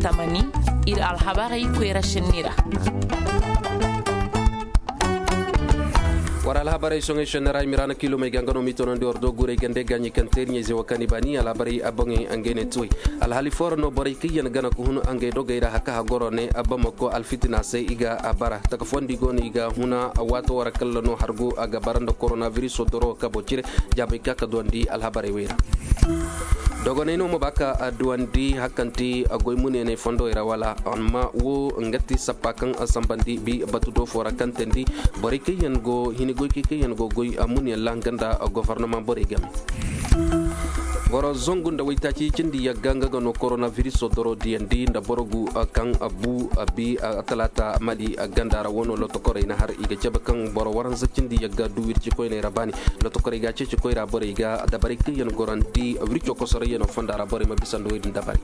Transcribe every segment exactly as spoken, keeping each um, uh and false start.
Tamani, ir alhabarey koyra šenni ra. War alhabarey soŋey šenni ra i ma ra na kiilomey ga nga no m'i toonandi war do guurey gande gaaɲey kaŋ teeriɲey ze wo kaŋ i baani alhabarey a boŋey ngey ne tuwey. Alhali foo ra no borey kaŋ yaŋ gana ka hun ngey dogey ra haka hagoro ne a bamako alfitina se i ga a bara taka fondi go no i ga huna. Waato wara kalla no hargu a ga bara nda koronabiriso doro kabo cire. Jaabey ka ka duwandi alhabarey wey ra. Dogoney no ma ba ka duwandi hakanti a goy muneeney fondowey ra wala amma wo nga ti sappa kaŋ a sambandi bi batu do foo ra kaŋ teendi borey kaŋ yaŋ go hini goykey kaŋ yaŋ go goy a muneeney ra nga nda gofornama borey game. Boro zangu nda waytaaci cindi yagga nga ga no koronabiriso doro diyandi nda boro gu kaŋ a bu a bi a talaata mali a ganda ra wano lotokorey na har i ga cabe kaŋ boro waranza cindi yagga du wirci koyney ra baani. Lotokorey ga ceeci koyra borey ga dabarey kaŋ yaŋ gorandi wirco kosorey yaŋo fonda ra borey ma bisa nda wey din dabarey.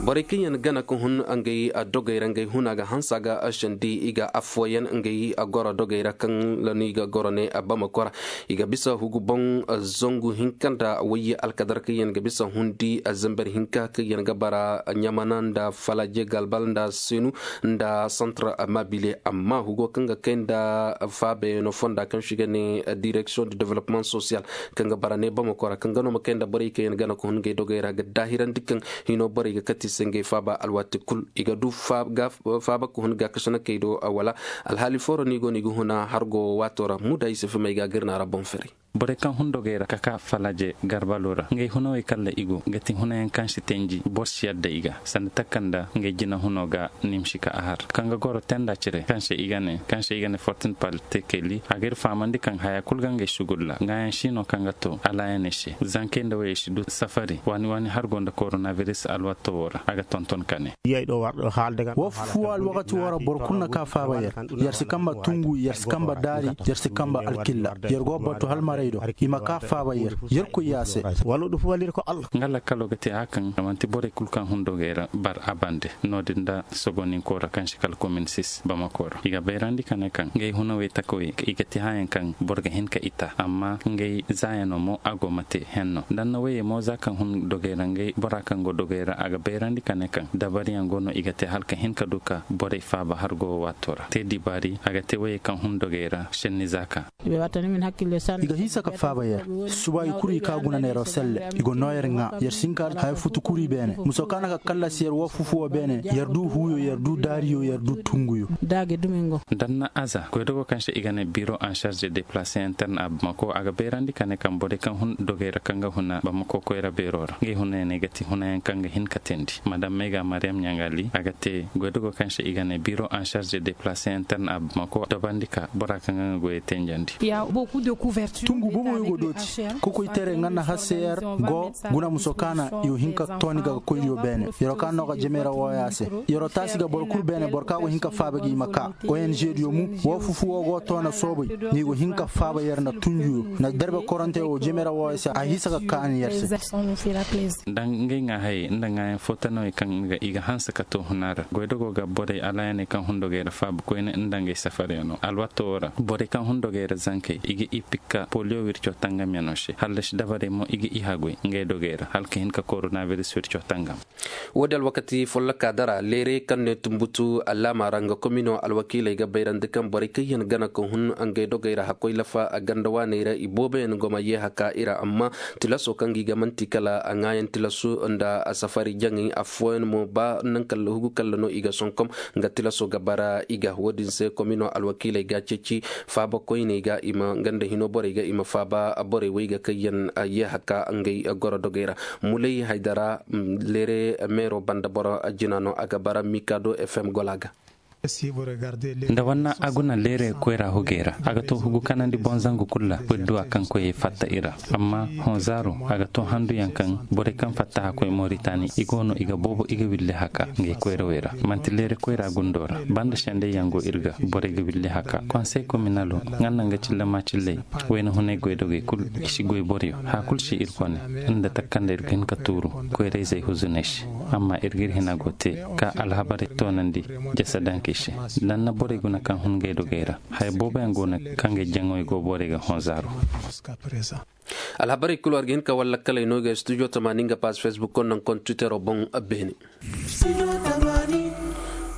Borey kaŋ yaŋ gana ka hun ngey dogey ra ngey huna ga hansa ga sendi i ga affooyaŋ ngey goro dogey ra kaŋ lanu i ga goro ne bamako ra. I ga bisa hugu boŋ zangu hinka nda wayye alkadar kaŋ yaŋ ga bisa hundi zambar hinka kaŋ yaŋ ga bara ɲamana nda falaje galbal nda senu nda santar mabile amma hugo kaŋ ga kay nda faabayaŋo fonda kaŋ se i ga ne direksiyoŋ de development sosiyal kaŋ ga bara ne bamako ra kaŋ ga no ma kay nda borey kaŋ yaŋ gana ka hun ngey dogey ra ga daahirandi kaŋ hino borey ga kati se ngey faaba alwaati kul i ga du faaba ka hun gaakasinakey do wala. Alhaali foo ra no i go no i ga huna hargo waato ra muda i si fimay ga gir na ra boŋ ferey. Borey kaŋ hun dogey ra ka ka falaje garbalo ra ngey hunawey kalla i go ga ti hunayaŋ kaŋ si tenji boro si yadda i ga sanda takanda ngey jina huno ga nimsi ka a har kaŋ ga goro tenda cire kaŋ se i ga ne kaŋ se i ga ne fortin pal tekeli a ga ir fahamandi kaŋ haya kul ga ngey sugulla ŋaayaŋ si no kaŋ ga to alaayaney se zankey nda woyey si du safari waani waani har go nda koronabiris alwatto wo ra a ga tonton ka ne. Wo fu alwakati wo ra boro kulu na ka faaba yer. Yer si kamba tungu yer si kamba daari yer si kamba alkilla. Yer go batu halmarey do i ma ka faaba yer. Yer koy ya se. Nga lakkalo ga te a kaŋ a manti borey kulu kaŋ hun dogey ra bar a bande no-din nda sogoninko ra kaŋ si kala komin sis bamako ra i ga bayrandi ka ne kaŋ ngey hunawey takawey i ga te hayaŋ kaŋ boro ga hin ka i ta amma ngey zaayano mo a go ma te henno nda anna woyey mo za kaŋ hun dogey ra ngey bora kaŋ go dogey ra a ga bayrandi ka ne kaŋ dabariyaŋ go no i ga te hala ka hin ka du ka borey faaba har go waato ra te dibaari a ga te woyey kaŋ hun dogey ra senni za ka. I ga hiisa ka faaba yer. Suba i kuru i ka guna neeroo selle i go noo yer ŋaa yer si hin ka haya futu kuru i beene muso kaŋ na ka kallasi yer woo fufuwoo beene yer du huuyo yer du daariyo yer du tunguyo. Danna aza goydogo kaŋ se i ga ne biro en charge de deplace interne a bamako a ga bayrandi ka ne kaŋ borey kaŋ hun dogey ra kaŋ ga huna bamako koyra beeroo ra ngey hunayaŋ ga ti hunayaŋ kaŋ ga hin ka teendi madam mega mariyam ɲangali a ga te goydogo kaŋ se i ga ne biro en charge de deplace interne a bamako dabandi ka bora kaŋ ga nga goyey tenjandi. Tungu boboyo go dooti kokoytere nga na hasse yer go guna muso kaana i go hin ka tooni ga ga koyriyo beene yeroo kaŋ no ga jemey ra wooya se. Yeroo taasi ga boro kulu beene boro kaŋ go hin ka faaba gi i ma ka ong diyo mu woo fufu woo go toona soobay. Ni go hin ka faaba yer nda tunjuyo nda derbe korante woo jemey ra wooya se a hiisa ga kaani yer se. Nda ngey ŋaa hayey nda ŋaayaŋ footanawey kaŋ i ga hanse ka too huna ra goydogo ga borey alaayaney kaŋ hun dogey ra faaba koyne nda ngey safaryaŋo alwaato woo ra borey kaŋ hun dogey ra zankey i ga i pikka poliyo wirco tangamyaŋo se hallasi dabarey mo i ga i haguy ngey dogey ra hala ka hin ka koronabiris wirco tangam. Woo din alwakati follokaa dara leerey kaŋ ne tumbutu allaama ra nga komino alwakiiley ga bayrandi kaŋ borey kaŋ yaŋ gana ka hun ngey dogey ra hakkoy lafa ganda waaney ra i booboyaŋ go ma yee haka i ra amma tilaso kaŋ ga i ga man'ti kala ŋaayaŋ tilasu nda safari jaŋay affooyaŋ mo ba naŋ kala hugu kala no i ga sonkom nga tilaso ga bara i ga woo din se komino alwakiiley ga ceeci faaba koyney ga i ma nga nda hino borey ga i ma faaba borey wey ga kaŋ yaŋ yee haka ngey goro dogey ra. Mulay haydara leere meero banda boro jina no a ga bara mikado fm gola ga. Nda wanna a guna leere koyra hugey ra a ga to hugu kanandi boŋ zangu kulu ra wirduwa kaŋ koyey fatta i ra. Amma hõ zaaru a ga to handuyaŋ kaŋ borey kaŋ fatta hakkoy moritani i go no i ga boobo i ga willi haka ngey koyrawey ra man'ti leere koyra gundo ra banda sendey yaŋ go ir ga borey ga willi haka konsey kominalo nga naŋ ga cilla maacilley wayna hunay goydogey kul i si goy boryo haya kul si ir kone nda takanda ir ga hin ka tuuru koyrayzey huzuney se. Amma ir ga ir hina go te ka alhabarey toonandi jasadankey se. Danna borey guna kaŋ hun ngey dogey ra haya booboyaŋ go no kaŋ ngey jaŋoy go borey ga hõ zaaru. Alhabarey kulu war ga hin ka wallakkaley no ga studio tamaani nga paas facebook konnan kon twittero boŋ. Beene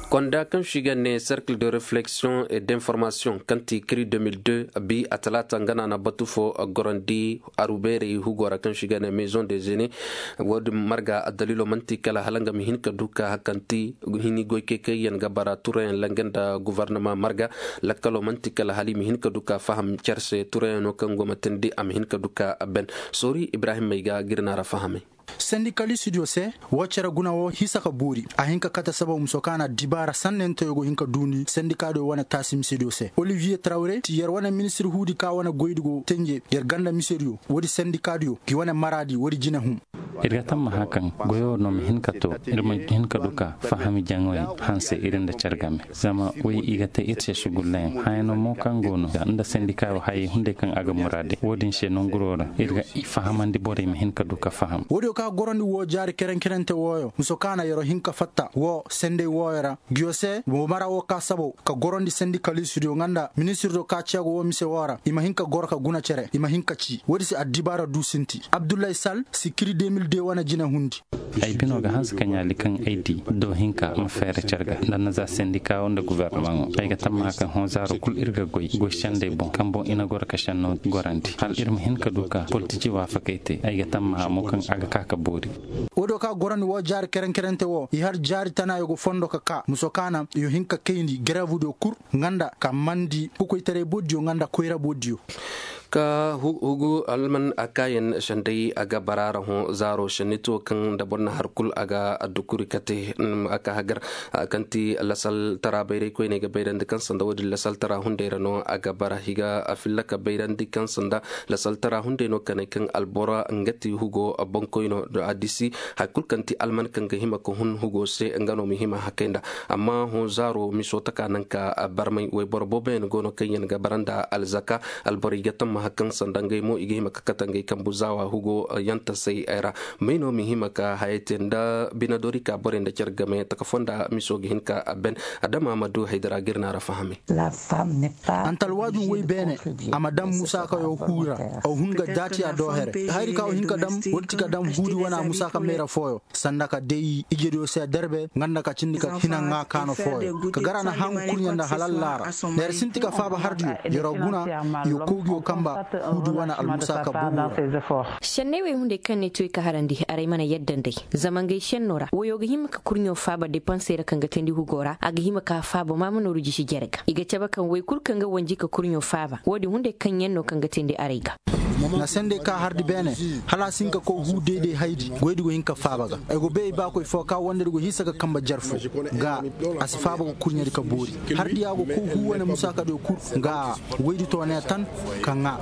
konda kaŋ si ga ne cercle de réflexion et d'information kaŋ ti kiri deux mille deux bi a talaata nga na na batu fo gorandi arubeerey hugo ra kaŋ si ga ne maison des aînés. Wo- din marga addalilo man'ti kala hala nga ma hin ka du ka hakanti hini goy kay kaŋ yaŋ ga bara turayaŋ langa nda guvarnama marga. Lakkalo man'ti kala hala i ma hin ka du ka faham care se turayaŋo kaŋ go ma tindi a ma hin ka du ka ben. Soori ibrahim may ga ga ir na ra fahamay. Sendikalistidiyo se wo cere guna wo hisa ka boori a hin ka kate sababu muso kaŋ a na dibaara sannanteyo go hin ka duundi sendikaadiyo wane taasi misediyo se oliviye trawre ti yer wane ministir huudi ka wane goydi go tenje yer ganda misediyo woodi sendikaadiyo gi wane maraadi woodi jinehum. Ir ga tammaha kaŋ goyo no ma hin ka to ir ma hin ka du ka fahami jaŋoy hanse ir nda care game. Zama way i ga te ir se sugullayaŋ hayano mo kaŋ go no nda sendikaayo hayey hunday kaŋ a ga muraade wo-din se nanguro ra ir ga fahamandi borey ma hin ka du ka faham. Woodiyo ka gorandi wo jaari kerenkerente wooyo muso kaŋ a na yer'o hin ka fatta wo senday wooyo ra. Giyo se wo mara wo ka sabo ka gorandi sendikalistidiyo nga nda ministirdo ka ceego wo mise woo ra i ma hin ka goro ka guna cere i ma hin ka ci woodi se addibaara du sinti abdullahi sal si kiri deux mille deux wane jine hundi. Ay bino ga hanse ka ɲaali kaŋ ay di do hinka ma feere care ga nda na za sendika wo nda guverneman wo ay ga tammaha kaŋ hõ zaaro kul ir ga goy goy sendey boŋ kaŋ boŋ i na goro ka senno gorandi hala ir ma hin ka du ka politici waafakey te ay ga tammaha mo kaŋ a ga ka ka boori. Woodiyo ka gorandi wo jaari kerenkerente wo i har jaari tana yo ga fondo ka ka muso kaana yo hin ka kayndi gereevudiyo kul nga nda ka mandi kokoytaray boodiyo nga nda koyra boodiyo. Ka hugu alman a kaayaŋ senday a ga bara ra hõ zaaro senni to kaŋ nda boro na har kul a ga addukuri kate a ka hagar kaŋ ti lasaltara bayray koyney ga bayrandi kaŋ sanda wo-din lasaltara hunday ra no a ga bara i ga filla ka bayrandi kaŋ sanda lasaltara hunday no kanay kaŋ albora nga ti hugo boŋkoyno a disi. Hari kul kaŋ ti alman kaŋ ga hima ka hun hugo se nga no ma hima hakay nda amma hõ zaaro miso taka naŋ ka barmay wayboro booboyaŋ go no kaŋ yaŋ ga bara nda alzaka. Alborey ga tammaha kaŋ sanda ngey mo i ga hima ka kate ngey kambu zaawa hugo yantasey ra. May no ma hima ka hayey te nda binadori ka borey nda care game taka fonda miso ga hin ka ben. Adama ma du haydara ga ir na ra fahamay. Antalwaadin woy beene a ma daŋ musaakayo huu ra. Aw hun ga daatiya doohere hayri ka aw hin ka daŋ wala ti ka daŋ huudi wana musaaka mayra fooyo sanda ka day ijediyo se derbe nga nda ka cindi ka hina ŋaa kaano fooyo ka gar a na haŋu kurɲe nda halal laara. Neera sinti ka faaba hardiyo yero guna yo kowgiyo kamba huudi wane almusaaka bugu ra. Senney wey hunday kaŋ ne ti wey ka harandi aray mana yadda nd'ey zama ngey senno ra woyo ga hima ka kurɲo faaba depansey ra kaŋ ga teendi hugo ra a ga hima ka faaba maama nooru jisi jere ga i ga cabe kaŋ wey kul kaŋ ga wanji ka kurɲo faaba wo-din hunday kaŋ yaŋ no kaŋ ga teendi aray ga. Na sendey ka hardi beene hala a si hin ka koy huu deydey haydi goydi go hin ka faaba ga. Ay go bay ay baakoy fo ka wandedi go hiisa ga kamba jar fo ga a si faaba ga kurɲedi ka boori. Hardiya go koy huu wane musaakadiyo kul ga woydi toonaya tan ka ŋaa.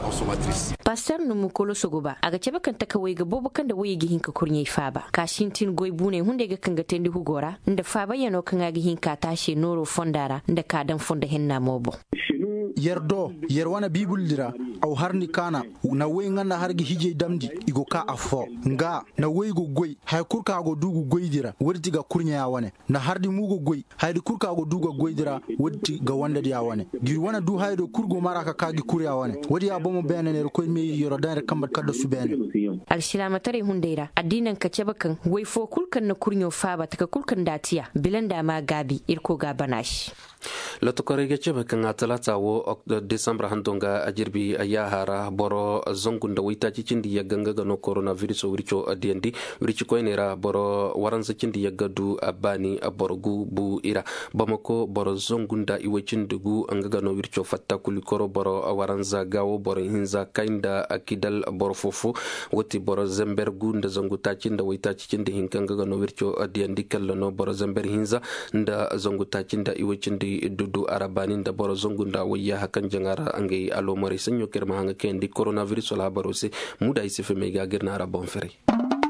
Pastor numu koloso go ba a ga cabe kaŋ takawey ga boobo kaŋ nda woyey ga hin ka kurɲey faaba ka sintin goy buuney hunday ga kaŋ ga teendi hugo ra nda faabayanoo kaŋ a ga hin ka taase nooroo fonda ra nda ka daŋ fondo henna mo boŋ. Yer do yer wane biibildi ra aw har ni kaana na woy nga nda har ga hijey damndi i go ka affoo nga na woy go goy haya kul ka go du ga goydi ra woodi ti ga kurɲeya wane. Nda hardi mo go goy hayadi kul ka go du ga goydi ra woodi ti ga wandediya wane. Gi wane du hayadiyo kul go mara ka ka gi kurya wane. Woodi ya bomo beene ne yer koy me yero daŋ yer kamba kaddasu beene. Alsilaamataray hunday ra addiinaŋ ka cabe kaŋ woy fo kul kaŋ na kurɲo faaba taka kul kaŋ nda a tiya bila nda a ma a gaabi irkoy ga a bana se. Lotokorey ga cabe kaŋ a talaata wo desambur hando nga a jirbi yaaha ra boro zangu nda waytaaci cindi yagga nga ga no korona viriso wirco diyandi. Wirci koyney ra boro waranza cindi yagga du a baani boro gu bu i ra. Bamako boro zangu nda iway cindi gu nga ga no wirco fatta kulikoro boro waranza gaawo boro hinza kay nda kidal boro fofo. Wo ti boro zember gu nda zangu taaci nda waytaaci cindi hinka nga ga no wirco diyandi kalla no boro zember hinza nda zangu taaci nda iway cindi dudu a ra baani nda boro zangu nda wayyaha kaŋ jaŋa ra ngey aloomarey saɲɲo kaŋ ir ma haŋa kayandi koronaviris alhabaroo se. Muuda ay si fimey ga ga ir na a ra boŋ ferey.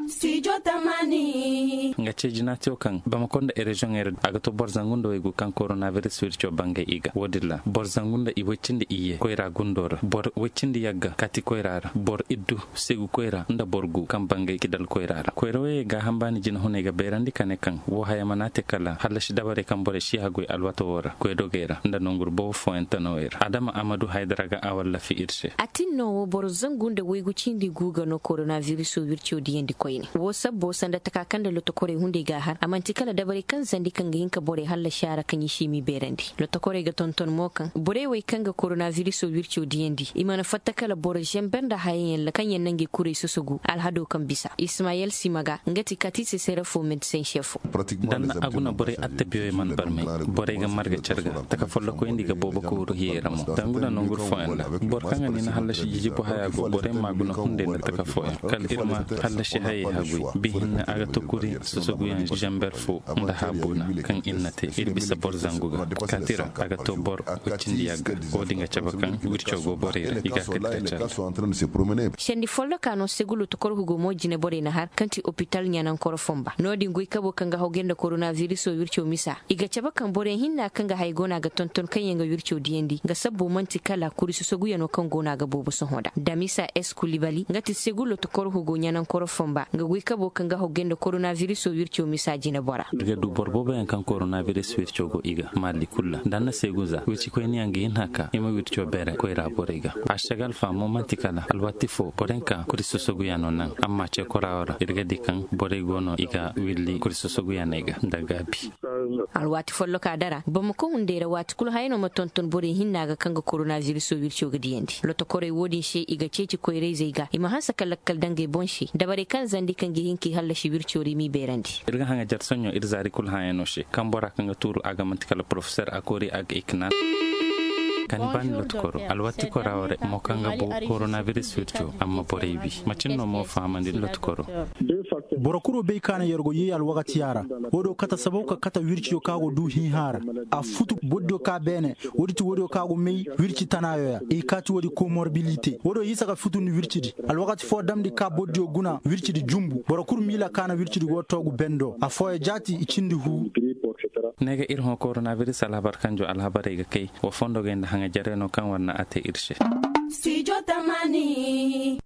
Studio Nga ce jinaatiyo kaŋ bamako nda ereziyoŋey ra a ga to boro zangu nda waygu kaŋ koronabiris wirco bangay i ga wo- din ra boro zangu nda i way cindi iyye koyra gundo ra boro way cindi yagga kaati koyra ra boro iddu seegu koyra nda boro gu kaŋ bangay kidal koyra ra koyra wayey gaaham baani jinahuney ga bayrandi ka ne kaŋ woo haya mana te kala hallasi dabarey kaŋ borey si haguy alwato woo ra koydogey ra nda nonguru boobo fooyaŋ tanawey ra adama amadu haydara ga a wallafi ir se. A tin no wo boro zangu nda waygu cindi gu ga no koronabiriso wirco diyandi koyne woo sabbo sanda taka kaŋ nda lotokorey hunday g'a har a man'ti kala dabarey kaŋ zandi kaŋ ga hin ka borey hallasi a ra kaŋ i si m'i beerandi. Lotokorey ga tonton mo kaŋ borey wey kaŋ ga koronabiriso wirco diyandi i mana fatta kala boro zember nda hayayaŋ ra kaŋ yaŋ na ngey kurey sosogu alhado kaŋ bisa ismayel sima ga nga ti katise sere fo medisen se fo. Da na a guna borey attabiyoy mana barmay borey ga marga car ga taka follokoyandi ga boobo ka wuru hiyey ra mo dangu nda nongur fooyaŋ ra boro kaŋ ga ni na hallasi jijibo haya go borey ma guna hunday nda taka fooyaŋ kala ir ma hallasi hayey haguy bi hinne a ga to kuri sosoguyaŋ zember fo nda haabuna kaŋ ir na te ir bisa boro zangu ga kaati ra a ga to boro wicindi yagga wo- din ga cabe kaŋ wirco go borey ra i ga a kati ka care. Sendi folloka no segulo tokorohu go mo jineborey na har kaŋ ti opital ɲanankoro fonba no- din goy kabo kaŋ ga hawgay nda koronabiriso wirco misa i ga cabe kaŋ borey hinna kaŋ ga hay go no a ga tonton kaŋ yaŋ ga wirco diyandi nga sabbo man'ti kala kuri sosoguyaŋo kaŋ go no a ga boobo sohõ nda damisa eskulibali nga ti segulo tokorohu go ɲanankoro fonba nga goy kabo kaŋ ga hawgay nda koronabiriso wirco misa jinebora. Ir ga du boro booboyaŋ kaŋ koronabiriso wirco go i ga malli kul ra da na seegu za wircikoyniyaŋ ga hin haka i ma wirco beere koyra borey ga. Ašagal fa mo man'ti kala alwaati fo borey ka kuri sosoguyaŋo naŋ amma cekorawo ra ir ga di kaŋ borey go no i ga willi kuri sosoguyaŋey ga nda gaabi. Alwaati folloka dara bamako hunday ra waati kul hayano ma tonton borey hinna ga kaŋ ga koronabiriso wirco ga diyandi lotokorey wo- din se i ga ceeci koyrayzey ga i ma hanse ka lakkal daŋ ngey boŋ se dabarey kaŋ zandi kaŋ ga hin ka i hallasi wirco ra i m'i beerandi. Ir ga haŋajer soɲõ ir zaari kul hayaŋo se kaŋ bora kaŋ ga tuuru a ga man'ti kala porofesor a koori a ga ikna. Kani baani lotikoro alwatikora ware mo kaŋ ga bo koronabiris wirco amma borey wi macin no mo fahamandi lotikoro. Boro kuro bay ka na yer go yeey alwakatiya ra. Wo-din kate sababu ka kate wirciyo kaŋ a go du hiihã ra. A futu bordiyo ka beene. Wo-din ti wo-diyo kaŋ a go may wirci tanaayo ya i kaati wo-din komorbilite wo-diyo hiisa ka futundi wircidi. Alwakati fo damndi ka bordiyo guna wircidi jumbu boro kul miila ka na wircidi go toogu bendo afooyaŋ jaati i cindi huu. Ne ga ir hõ koronabiris alhabar kanjo alhabarey ga kay wa fondogey nda haŋajarey no kaŋ war na a te ir se. Stijo tamani.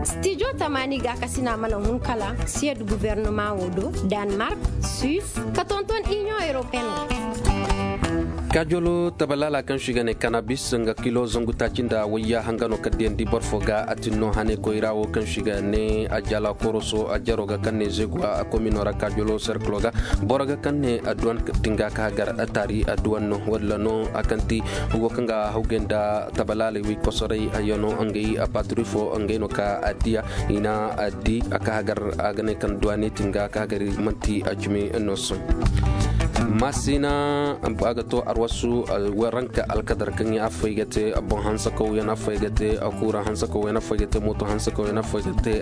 Stijo tamani ga kasina mana hun kala siyad guvernoma wo do, danmark, suis, ka tonton union européenne. Kajolo tabalaala kaŋ si ga ne kanabis nga kilo zangu taaci nda wayya hanga no ka diyandi boro fo ga a tin no hane koyra wo kaŋ si ga ne a jala koroso a jaro ga kaŋ ne zegwa a komino ra kajolo serklo ga boro ga kaŋ ne a duwan tinga ka hagar a taari a duwan no walla no a kaŋ ti hugo kaŋ ga hawgay nda tabalaaley wi kosoray a yano ngey a paturi fo ngey no ka a diya i na a di a ka hagar a ga ne kaŋ duwane tinga ka hagar manti a cimi no soy. Masina a ga to arwasu waranka alkadar kaŋ ya affay ga te boŋ hansa kaw yana affay ga te a kura hansa kaw yana affay ga te moto hansa kaw yana affay ga te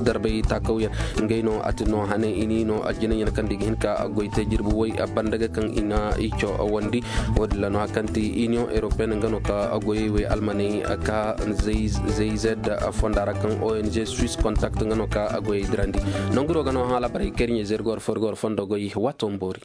darbay ta kaw yana ngey no a ti no hane ini no a jina yana kaŋ diga hinka a goy te jirbi way a banda ga kaŋ ina ico a wandi. Wo-din ra no a kaŋ ti union européenne nga no ka a goyey way almaney ka zayzed fonda ra kaŋ ong swiss contact nga no ka a goyey dirandi. Nanguro ga no hã labaray kayrɲey zergor forgor fondo goy wato mboori.